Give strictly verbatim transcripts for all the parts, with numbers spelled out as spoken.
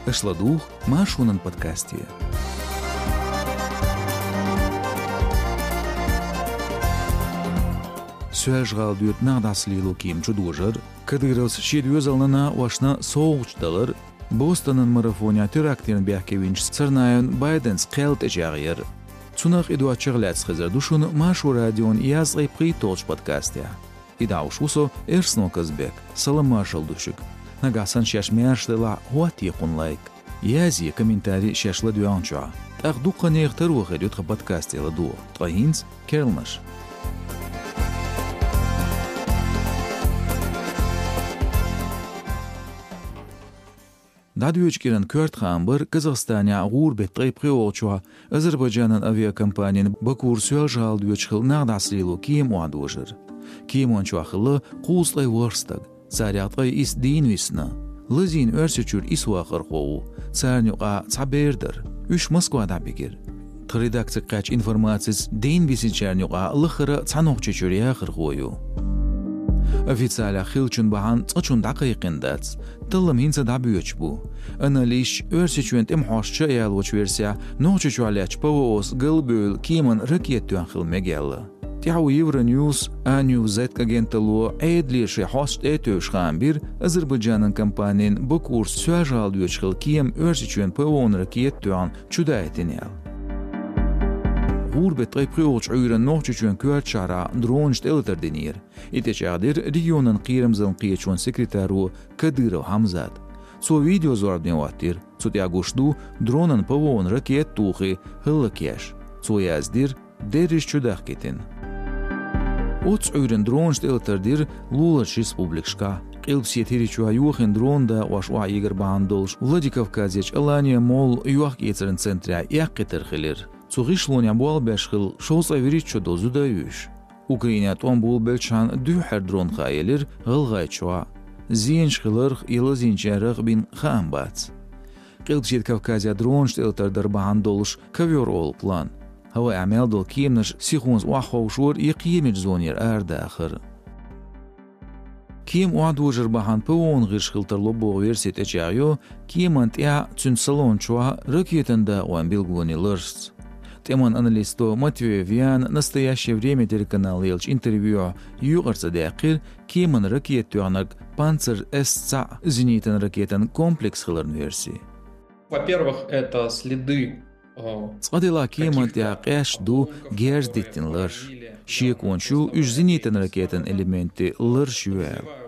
Аша ладугӀу Маршонан подкасте. Соьлжа-ГӀала доьду нах дӀасалело кема чудожар, Кадыровс шен доьзална, накъосташна совгӀаташ далар, Бостонан марафонехь терактана бехке винчу Царнаевн Байденца кхел тӀечӀагӀъяр. Цунах а, и доцчух а лаьцна хезар ду шуна Маршо радион язткъе пхийтталгӀачу подкастехь. И дӀахьош ву со, Эрсно Казбек. Салам-маршалла ду шуьга. Нагахь санна шаьш маьрша делахь, хӀоттае кхунна лайк. Язъе комментарий шаьш ладоьгӀначохь. ТӀаккха дуккха нехан таро хир ю тхан подкасте ладогӀа. Ткъа хӀинца керланаш. ДӀадоьдучу кӀиран коьрта хаам бара Казахстанехь гӀуран беттан ткъе пхоьалгӀачохь Азербайджанан авиакомпанин Бакура Соьлжа-ГӀала доьдуш хилла нах дӀасалело кема охьадожар. Кеман чохь хилла кхузткъе ворхӀ стаг, царех ткъе исс дийна висна. Лазийна Оьрсийчуьра исс вахархо ву, царна юкъахь цхьа бер дара. Уьш Москва дӀабигира. Тхан редакцига кхаьчначу информацица, дийна висинчарна юкъахь лахара цхьа Нохчийчуьра яхархо ю. Официалехь хиллачун бахьана цкъачунна дӀакхайкхина дац. Таллам хӀинца а дӀабоьдуш бу. Аналисташа Оьрсийчоьнан тӀеман хьосташа а ялочу версехь, Нохчийчохь лаьттачу ПВО-с галбевлла кеманна ракета тоьхна хила мега аьлла. ТӀаьхьо Евроньюс, Аньюзет агенталло Ӏедале шайн хьосташ тӀе а тевжаш хаам бира, Азербайджанан компанин Бакура Соьлжа-ГӀала доьдуш хилла кема Оьрсийчоьнан ПВО-на ракета тоьхна чудайтина аьлла. ГӀуран беттан ткъе пхоьалгӀачу Ӏуьйранна Нохчийчоьнан коьртачу шахьарахь дронашца тӀелатар динера. И тӀечӀагӀдира регионан кхерамзаллин кхеташонан секретаро Кадыров Хьамзата. Цо видеозорбане хӀоттийра. Цу тӀехь гуш ду дронан ПВО-на ракета а тухий, хӀаллакъеш. Цо яздира, дерриш чудахкийтина. Оццу Ӏуьйранна дронашца тӀелатар дира луларчу республикашкахь. Къилбаседа ХӀирийчохь йохийна дронан дакъош охьаэгар бахьана долуш Владикавказерчу Алания-молла йохк-эцаран центрехь эккхийтар хилира. Цу гӀишлонехь болх беш хилла шовзткъе вуьрхӀитта шо долу зуда а ю уьш. Украинехь тӀом болабеллачхьана дуьххьара дрон хаа елира ГӀалгӀайчохь. Зенаш хиларх я лазийначарах бина хаам бац. Къилбаседа Кавказехь дронашца тӀелатар дар бахьана долуш ковёр олу план. ХӀаваэхь мел долу кеманаш сихонца охьаховшор я кхиамечу зонера арадахар. Кема охьадожар бахьана ПВО-на гӀирс хила тарло боху верси тӀечӀагӀйо, кеманна тӀехь, цуьнан салон чохь ракетан дакъойн билгалонийн ларшца. ТӀеман аналисто Матвеев Яна «Настоящее время» телеканале еллачу интервьюхь юкъара ца даьккхира, кеманна ракета тоьхнарг «Панцирь» С цхьаъ зенитан ракетан комплекс хиларан верси. Во-первых, это следы, э, Цкъа делахь, кеманна тӀехь къаьсташ ду герз диттина ларш. Шеконаш ю, уьш зенитан ракетан элементийн ларш ю аьлла.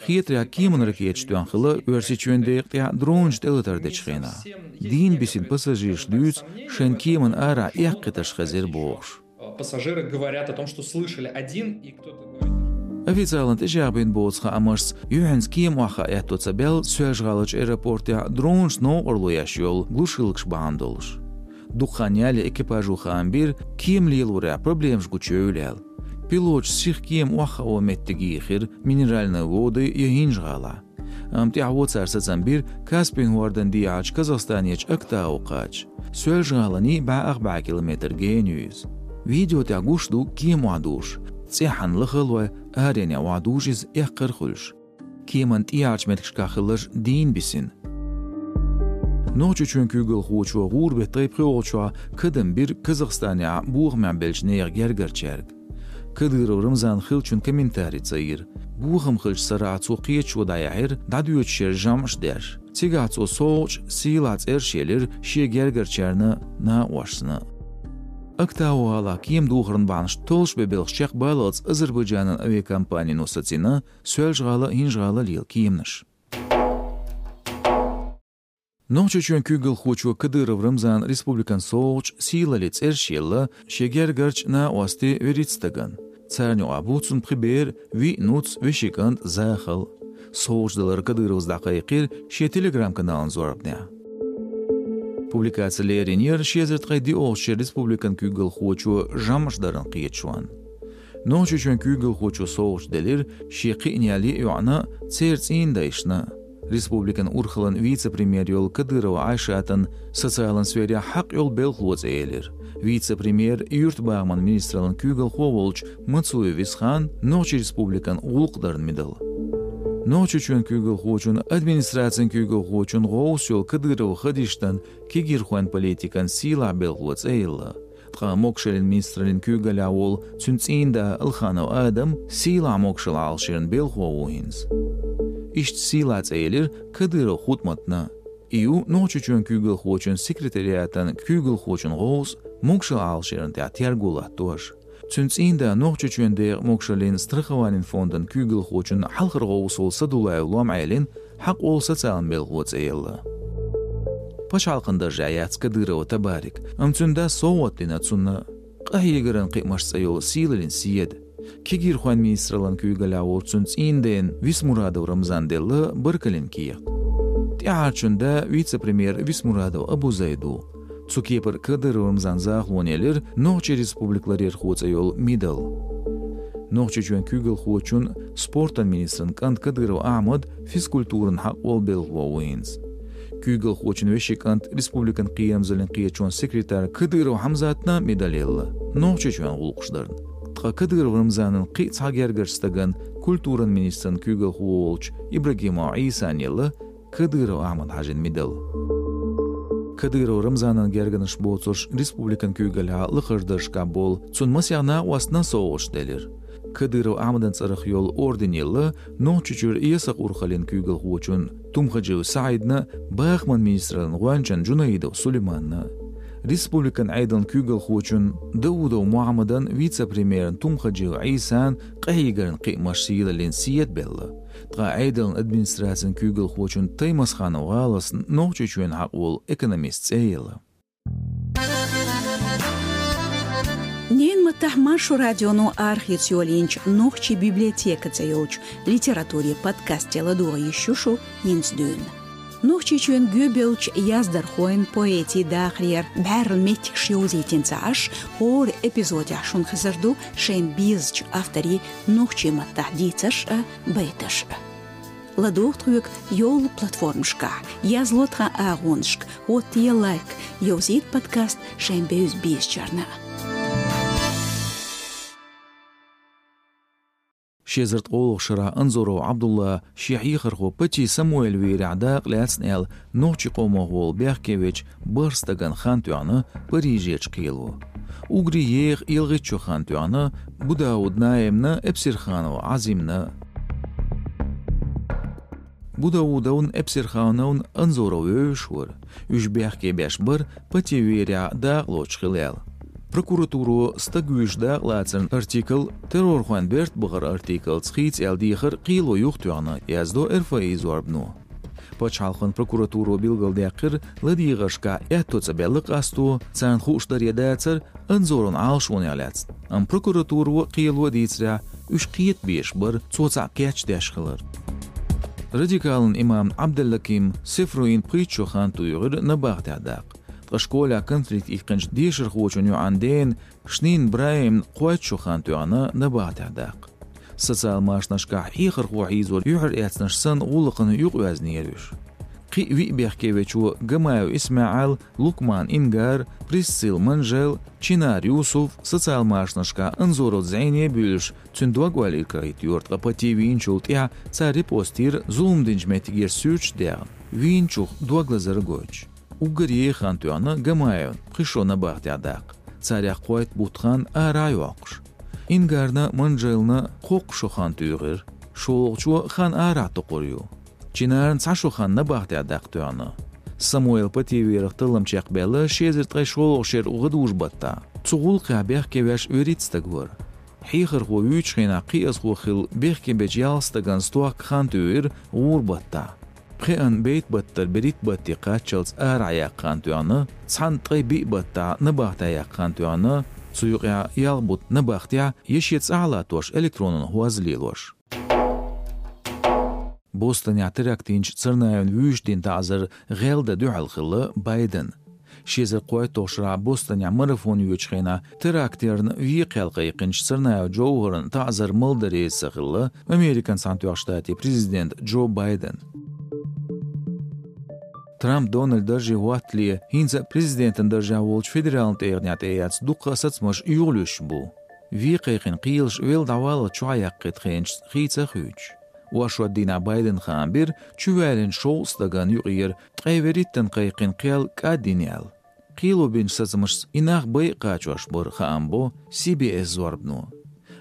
Хетарехь, кеманна ракеташ тоьхна хилла Оьрсийчоьнан декъа тӀехь дронашца тӀелатар дечу хенахь. Дийна бисина пассажираш дуьйцу, шайна кеманна арахь эккхийтарш хезира бохуш. Пассажиры говорят о том, что слышали один и кто-то говорит. Официалан тӀечӀагӀбина боцу хаамашца, юьхьанца кема охьахаа аьтто ца баьлла Соьлжа-ГӀаларчу аэропортехь дронашца новкъарло еш йолу глушилкаш бахьана долуш. Дукха хан ялале экипажо хаам бира, кема лелорехь проблемаш гучуевлла аьлла. Пилоташа сиха кема охьахаа меттиг йийхира Минеральные Воды я ХӀинжа-ГӀалахь. Амма тӀаьхьо цара сацам бира Каспийн хӀордан дехьарчу Казахстанерчу Актау кхача. Соьлжа-ГӀаланний бӀе ах бӀе километр гена ю иза. Видео тӀехь гуш ду кема охьадужуш. ЦӀеххьана лаха а лой, аренехь охьадужу иза эккхар а хуьлуш. Кеманна тӀехьарчу меттигашкахь хилларш дийна бисина. Нохчийчоьнан куьйгалхочо гӀуран беттан ткъе пхоьалгӀачохь кадам бира Казахстанехь бохамехь беллачу нехан гергарчаьрга. Кадыров Рамзан хиллачун комментарий ца йира. Бохам хиллачу сарахь цо кхеташо дӀаяьхьира, дӀадоьдуш шеран жамӀаш деш. Цигахь цо совгӀаташ, сийлахь цӀераш елира шен гергарчарна, накъосташна. Актау гӀалахь кема духаран бахьанаш толлуш бен белхаш чекхбаллалц Азербайджанан авиакомпанино сацийна Соьлжа-ГӀала, ХӀинжа-ГӀала лела кеманаш. Нохчийчоьнан куьйгалхочо Кадыров Рамзана республикан совгӀаташ, сийлаллин цӀераш елла, шен гергарчу, накъостийн вуьрхӀитта стагана. Царна юкъахь бу цуьнан пхи бер, виъ нуц, вешин кӀант Захал. СовгӀаташ далар Кадыровс дӀакхайкхийра шен Telegram-каналан зорбанехь. Публикаци леринера ши эзар ткъе диъолгӀачу шеран республикан куьйгалхочо жамӀаш даран кхеташонна. Нохчийчоьнан куьйгалхочо совгӀаташ делира шен кхиъна йолу йоӀана, церан цӀийнан дайшна. Республикан урхаллин вице-премьер йолу Кадырова Айшатана социалан сферехь хьакъ йолу белхало цӀе елира. Вице-премьер, юьртабахаман министраллин куьйгалхо волчу Мацуев Висхана Нохчийн Республикан гӀуллакх даран медаль. Нохчийчоьнан куьйгалхочун, администрацин куьйгалхочун гӀовс йолу Кадыров Хадиштан кегийрхойн политикан сийлахь белхало цӀе елла. Ткъа могашаллин министраллин куьйгаллехь волу цуьнан цӀийнда Алханов Адам сийлахь могашалла Ӏалашъяран белхало ву хӀинца. Иштта сийлахь цӀе елира Кадыров Хутматна. И ю Нохчийчоьнан куьйгалхочун секретариатан куьйгалхочун гӀовс могашалла Ӏалашъяран тӀехь терго латтош. Цуьнан цӀийнда Нохчийчоьнан декъан могашаллин страхованин фондан куьйгалхочун хьалхара гӀовс волу Садулаев Лом-Ӏелин хьакъ волу социалан белхало цӀе елла. Пачхьалкхан даржехь яц Кадырова Табарик, амма цуьнан дас совгӀат дина цунна. Къахьегаран кхиамаш цӀе йолу сийлаллин седа. Кегийрхойн министраллин куьйгаллехь волчу цуьнан цӀийнан дена Висмурадов Рамзана делла баркаллин кехат. ТӀаьхьарчун да вице-премьер Висмурадов Абузайд ву. Цу кепара Кадыров Рамзанан захалонна елира Нохчийн Республикан ларъярхо цӀе йолу медаль. Нохчийчоьнан куьйгалхочун, спортан министран кӀанта Кадыров Ахьмада физкультуран хьакъ волу белхало ву хӀинца. Куьйгалхочун вешин кӀанта, республикан кхерамзаллин кхеташонан секретарна Кадыров Хьамзатна медаль елла Нохчийчоьнан гӀуллакхаш дарна. Ткъа Кадыров Рамзанан кхин а цхьа гергара стагана, культуран министран куьйгалхо волчу Ибрагимов Ӏийсана елла Кадыров Ахьмада хьажийна медаль. Кадыров Рамзанан гергарнаш боцурш республикан куьйгаллехь лакхарчу даржашкахь болу цуьнан масех накъостна совгӀаташ делира. Кадыров Ахьмадан цӀарах йолу орден елла Нохчийчуьра эсакха урхаллин куьйгалхочун Тумхаджиев СаӀидна, бахаман министраллин гӀоьнчан Джунаидов Сулейманна. Республикан Ӏедалан куьйгалхочун Даудов Мухьаммадан, вице-премьерна Тумхаджиев Ӏийсана къахьегаран кхиамаш сийлаллин седа белла. Ткъа Ӏедалан администрацин куьйгалхочун Таймасханов ГӀаласна Нохчийчоьнан хьакъ волу экономист цӀе елла. Ненан маттахь Маршо радионо арахеца йолийначу «Нохчийн библиотека» цӀе йолчу литературин подкасте ладогӀа йиш ю шу хӀинца дуьйна. Нохчийчоьнан гӀоьбевллачу яздархойн, поэтийн дахарера бӀаьрла меттигаш йовзийтина ца Ӏаш, хӀора эпизодехь шуна хезар ду шайна безачу авторийн нохчийн маттахь дийцарш а, байташ а. ЛадогӀа тхоьга йолу платформашкахь, язло тхан агӀонашка, хӀоттае лайк, йовзийта подкаст шайн бевза-безачарна. Ши эзар ткъолгӀачу шарахь Анзоров Ӏабдулла шен хьехархо Пати Самуэль вийрехь дакъа лаьцна аьлла, нохчийн къомах волу бехке вечу бархӀ стагана хан тоьхна Парижерчу кхело. Уггаре еха ялхитта шо хан тоьхна Будауда Наимна, Эпсирханова Ӏазимна. Будаудовна, Эпсирхановна Анзоров вевзаш вара. Уьш бехке беш бара Пати вийрехь дакъа лоцуш хила аьлла. Прокуратуро стаг вуьйш дакъа лацаран артикл террорхойн берт бахаран артиклца хийца аьлла дехар кхело юхатоьхна, яздо РФИ зорбано. Пачхьалкхан прокуратуро билгалдаьккхира, ладегӀаршкахь аьтто цӀа белла къасто, царна хууш дара я дацара Анзоровн Ӏалашонех лаьцна. Амма прокуратуро, кхело дийцарехь, уьш кхета безаш бара, цо цхьаъ кечдеш хилар. Радикалан имамна Ӏабдаллаким Сефруина пхийтта шо хан туьйхира набахтехь даккха. Ткъа школехь конфликт иккхинчу дешархочун йоӀан дена Шнин БрахӀимна кхойтта шо хан тоьхна набахтехь даккха. Социал машанашкахь хьехархо хьийзор юьхьар эцнарш санна гӀуллакхана юкъаоьзнера уьш. Кхин а виъ бехке вечо Гамаев ИсмаӀал, Лукман Ингар, Присцилла Манжел, Чинар Юсуф социал машанашкахь Анзоровца зӀене а буьйлуш, цуьнан дог-ойла иргӀайта йора, ткъа Пати вийначул тӀаьхьа цара репост йира зулам динчу меттигера суьрташ а даьхна, вийначух дог лазар а гойтуш. Уггар еха хан тоьхна Гамаевна, пхи шо набахтехь даккха. Царех кхойтта бутт хан арахь а йоккхуш. Ингарна, Манжелна кхоккха шо хан туьйхира. ШолгӀачо хан арахь токхур ю. Чинарна цхьа шо хан набахтехь даккха тоьхна. Самуэл Пати вийрах таллам чекхбаьлла ши эзар ткъе шолгӀачу шеран гӀадужу-баттахь. Цу гӀуллакхехь бехке веш вуьрхӀитта стаг вара. Хьехархо вуьйчу хенахь кхиазхо хилла бехке бечу ялх стагана стохка хан туьйхира гӀура-баттахь. Пхеана бейт-баттара берхӀитта батте кхаччалц арахь яккха хан тоьхна, цхьана ткъе биъ баттахь набахтехь яккха хан тоьхна, цу юкъехь ялх бутт набахтехь я шен цӀахь а латтош электронан хӀоз лелош. Бостонехь теракт йинчу Царнаевна вуьйш дина таӀзар гӀелдан дуьхьал хилла Байден. Ши эзар кхойтталгӀачу шарахь Бостонехь марафон йоьдучу хенахь теракт ярна векхаялла кхайкхинчу Царнаев Джовхарна таӀзар малдан реза ца хилла Американ Цхьаьнатоьхначу Штатийн президент Джо Байден. Трамп Дональд дарже хӀоттале, хӀинца а президентан даржехь волчу федералан тӀегӀанехь тӀеэцна дуккха а сацамаш юхалуьстуш бу. Вен кхайкхина кхелаш велла дӀаваллалц чохь яккхийта хенашца хийца а хуьйцуш. Оршот дийнахь Байдена хаам бира, чувоьллина шовзткъа стагана юкъера ткъе вуьрхӀиттанна кхайкхина кхел кӀадйина аьлла. Кхело бинчу сацамашца и нах байа кхачош баран хаам бо Си-Би-Эс зорбано.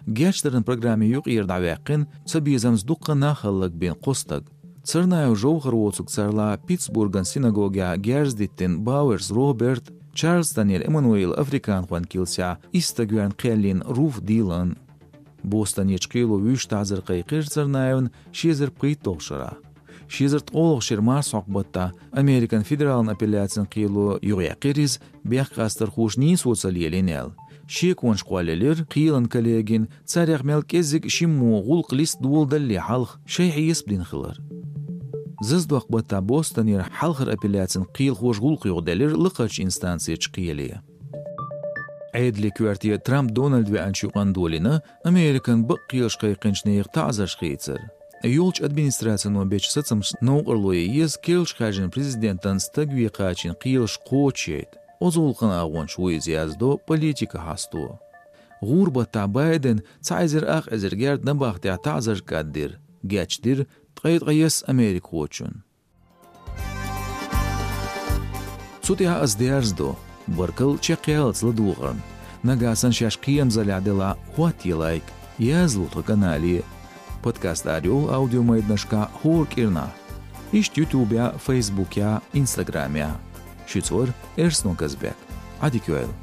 Гечдаран программе юкъера дӀаваьккхина цабезамца дуккха нах хӀаллакбина кхо стаг. Царнаев Жовхар воцург царла Питтсбурган синагогехь герз диттина Бауэрс Роберт, Чарльстонера Эммануил африканхойн килсехь исс стаг верна кхел йина Руф Дилан. Бостонерчу кхело вуьйш таӀзар кхайкхира Царнаевна ши эзар пхийтталгӀачу шарахь. Ши эзар ткъолгӀачу шеран марсхьокху баттахь Американ федералан апелляцин кхело юхаяьккхира иза, бехк къастархоша нийсо ца лелийна аьлла. Шеконаш кхоллаелира кхелан коллегин, царех мел кӀеззиг шиммо гӀуллакх листа доладалале хьалха шайн хьесап дина хилар. Заздоккху баттахь Бостонера хьалхара апелляцин кхелахоша гӀуллакх юхаделира лакхарчу инстанцерчу кхеле. Ӏедалан коьрте Трамп Дональд веанчу юкъана долийна Американ бакъ кхелаш кхайкхинчу нехан таӀзарш хийцар. Йолчу администрацино бечу сацамашца новкъарло ян еза керлачу хаьржина президентан стаг вен кхачийна кхелаш кхочушъяйта. Оцу гӀуллакхан агӀончаш ву иза, яздо Политико хьосто. ГӀура баттахь Байдена цхьа эзар ах эзар герда набахтехь таӀзар кӀаддира, гечдира ткъе ткъайесна америкахочунна. Цу тӀехь ас дерзадо. Баркалла чекхъяллалц ладогӀарна. Нагахь санна шаьш кхерамзаллехь делахь, хӀоттае лайк, язло тхан канале. Подкаст арайолу аудиомайданашкахь хӀора кӀирнахь. Иштта Ютубехь, Фейсбукехь, Инстаграмехь. Шуьца вара Эрсно Казбек. Ӏадика йойла.